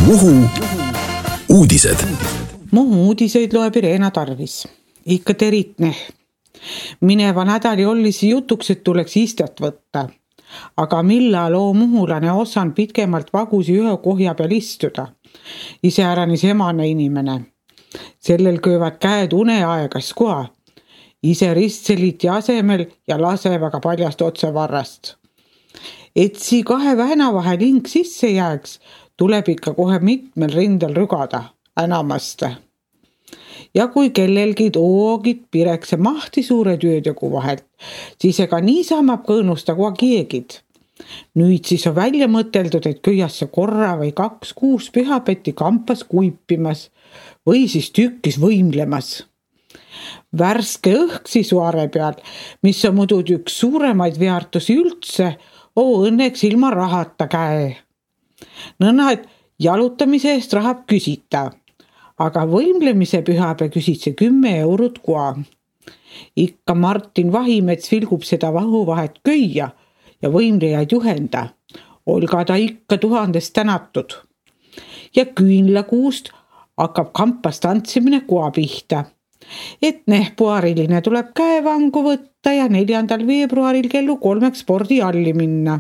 Muhu uudised. Muhu uudiseid loeb Irena Tarvis. Ikka teritne. Mineva nädali olisi jutuks, et tuleks istet võtta. Aga millal muhulane osan pitkemalt vagusi ühe kohja peal istuda? Iseäranis emane inimene. Sellel köövad käed uneaegas koha. Ise ristseliti asemel ja lase väga paljast otsevarrast. Et sii kahe vähna vahel hing sisse jääks, tuleb ikka kohe mitmel rindel rügada, enamaste. Ja kui kellelgi toogid pirekse mahti suure töötögu vahelt, siis ega niisama kõõnusta koha kiegid. Nüüd siis on välja mõteldud, et köiasse korra või 2 kuus pühapätti kampas kuipimas või siis tükkis võimlemas. Värske õhk sisuare peal, mis on muidu üks suuremaid väärtusi üldse, õnneks ilma rahata käe. Nõnda, et jalutamise eest rahab küsita, aga võimlemise pühapäe küsitse 10 eurot koha. Ikka Martin Vahimets vilgub seda vahuvahet köia ja võimlejaid juhenda. Olga ta ikka 1000 tänatud. Ja küünlakuust hakkab kampas tantsimine koha pihta. Et puhariline tuleb käevangu võtta ja 4. veebruaril kellu 3 spordialli minna.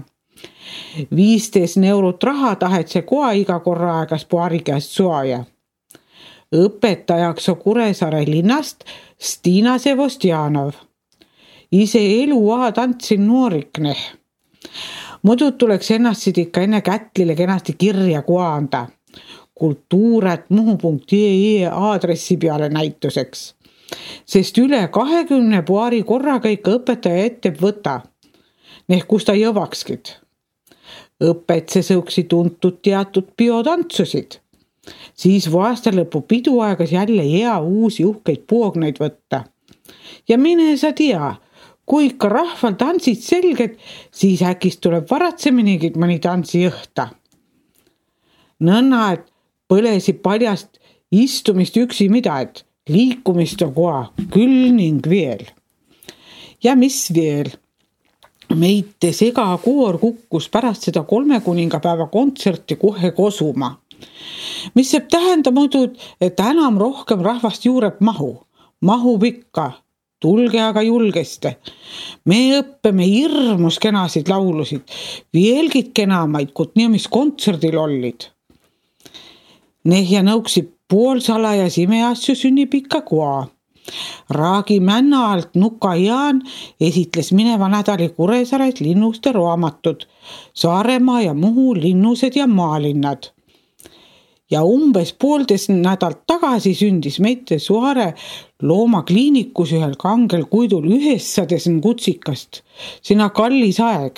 15 eurot raha tahet see koha iga korra aegas puhari käest suaja. Õpetajaks on Kuressaare linnast Stina Sevostjanov. Ise eluaha tantsin noorikne. Muidu tuleks ennast ikka enne kätlile kenasti kirja koha anda. kultuur@muhu.ee aadressi peale näituseks. Sest üle 20 puhari korraga ikka õpetaja ette võta. Kus ta jõvakskid. Õpetse sõuksi tuntud teatud biotantsusid. Siis aasta lõpu piduaegas jälle hea uusi uhkeid puogneid võtta. Ja mine sa tea, kui ikka rahval tantsid selged, siis äkist tuleb varatseminigid mõni tantsi õhta. Nõnda, et põlesi paljast istumist üksi mida, et liikumist on koha küll ning veel. Ja mis veel? Meite segakoor kukkus pärast seda 3 kuningapäeva kontserti kohe kosuma. Mis saab tähenda muidu, et enam rohkem rahvast juureb mahub ikka. Tulge aga julgeste. Me õppime hirmus kenasid laulusid, veelgid kenamaid, kui mis kontserdil ollid. Ja nõuksi poolsalajas imeasju sünnib ikka koha. Raagi männa alt Nuka Jaan esitles mineva nädali Kuressaares linnuste raamatud, Saaremaa ja Muhu linnused ja maalinnad. Ja umbes 1,5 nädalt tagasi sündis meite Suare loomakliinikus ühel kangel kuidul 900 kutsikast. Sina kallis aeg.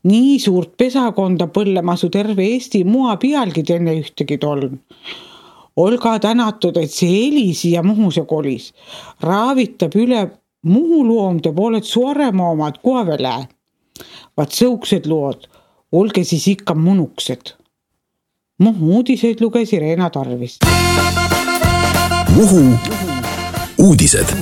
Nii suurt pesakonda põllemasu terve Eesti mua pealgi enne ühtegi toln. Olga tänatud, et see Elisi ja Muhuse kolis. Raavitab üle Muhu loomde pooled Saaremaa omad kohavele. Vaat sõuksed lood, olge siis ikka munuksed. Muhu uudiseid luges Irena Tarvis. Muhu uudised.